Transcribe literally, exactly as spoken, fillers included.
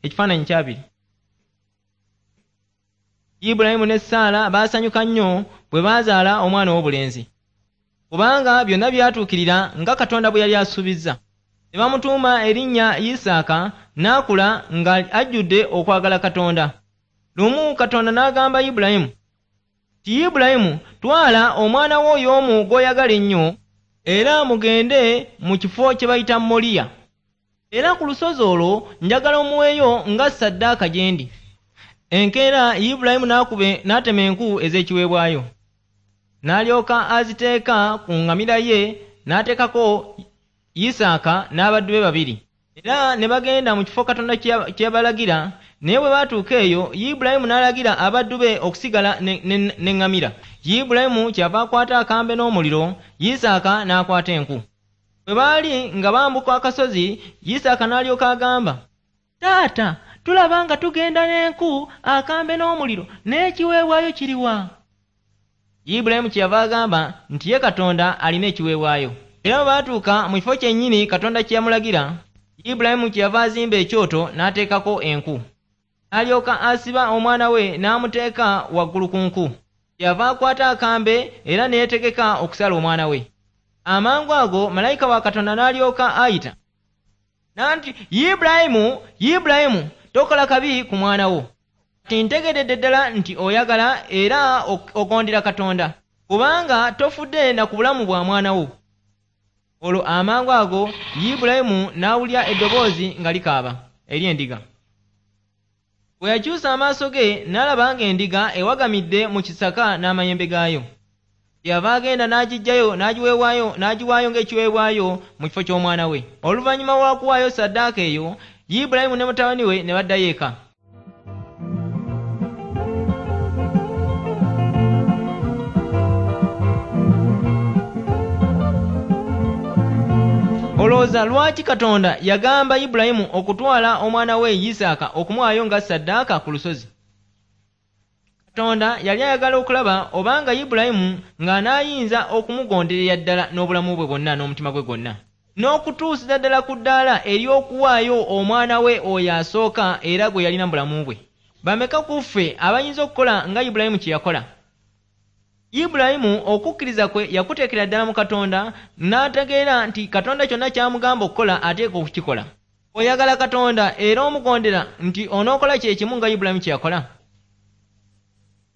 Ekifaananyi kyabiri. Ibulayimu ne Saala baasanyuka nnyo bwe baazaala omwana ow'obulenzi, kubanga byonna byatuukirira nga Katonda bwe yali asuubizza. Ne bamutuuma erinnya Isaaka, n'akula nga ajjudde okwagala Katonda. Lumu Katonda n'agamba Ibulayimu nti, Ibulayimu, twala omwana wo y'omu gw'oyagala ennyo, era mugende mu kifo kye bayita Moliya. Era ku lusozi olwo njagala omuweeyo nga ssaddaaka gye ndi. Enkeera Ibulayimu n'atema enku ez'ekiweebwayo, n'alyoka aziteeka ku ŋŋamira ye, n'ateekako Isaaka n'abaddu be babiri. Era ne bagenda mu kifo Katonda kye yabalagira. Naye bwe baatuuka eyo, Ibulayimu n'alagira abaddu be okusigala n'eŋŋamira. Ibulayimu kyava akwata akambe n'omuliro, Isaaka n'akwata enku. Bwe baali nga bambuka akasozi, Isaaka n'alyoka agamba, Taata, tulaba nga tugenda n'enku, akambe n'omuliro, n'ekiweebwayo kiriwa? Ibulayimu kyeyava agamba nti ye Katonda alina ekiweebwayo. Era bwe baatuuka mu kifo kyennyini Katonda kye yamulagira, Ibulayimu kyeyava azimba ekyoto n'ateekako enku. N'alyoka asiba omwana we n'amuteeka waggulu ku nku. Kyeyava akwata akambe era ne yeetegeka okusala omwana we. Amangu ago malayika wa Katonda n'alyoka ayita nanti, Ibulayimu, Ibulayimu, tokola kabi ku mwana wo. Kati ntegeredde ddala nti oyagala era ogondera Katonda, kubanga tofudde na ku bulamu bwa mwana wo. Olwo amangu ago Ibulayimu n'awulira eddoboozi nga likaaba ery'endiga. Bwe yakyusa amaaso ge n'alaba ng'endiga ewagamidde mu kisaka n'amayembe gaayo. Kyeyava agenda n'agiggyayo n'agiweebwayo n'agiwaayo ng'ekiweebwayo mu kifo ky'omwana we. Oluvannyuma lw'okuwaayo ssaddaaka eyo, Ibulayimu ne mutabani we ne baddayo eka. Olowooza lwaki Katonda yagamba Ibulayimu okutwala omwana we Isaaka okumuwaayo nga ssaddaaka ku lusozi? Katonda yali ayagala okulaba obanga Ibulayimu ng'anaayinza okumugonderera ddala n'obulamu bwe bwonna n'omutima gwe gwonna, n'okutuusiza ddala ku ddaala ery'okuwaayo omwana we oyo asooka era gwe yalina mu bulamu bwe. Bameka ku ffe abayinza okukola nga Ibulayimu kye yakola? Ibulayimu okukkiriza kwe yakuteekera ddala mu Katonda, n'ategeera nti Katonda kyonna ky'amugamba okukola ateekwa okukikola. Oyagala Katonda era omugondera nti onookola kye kimu nga Ibulayimu kye yakola?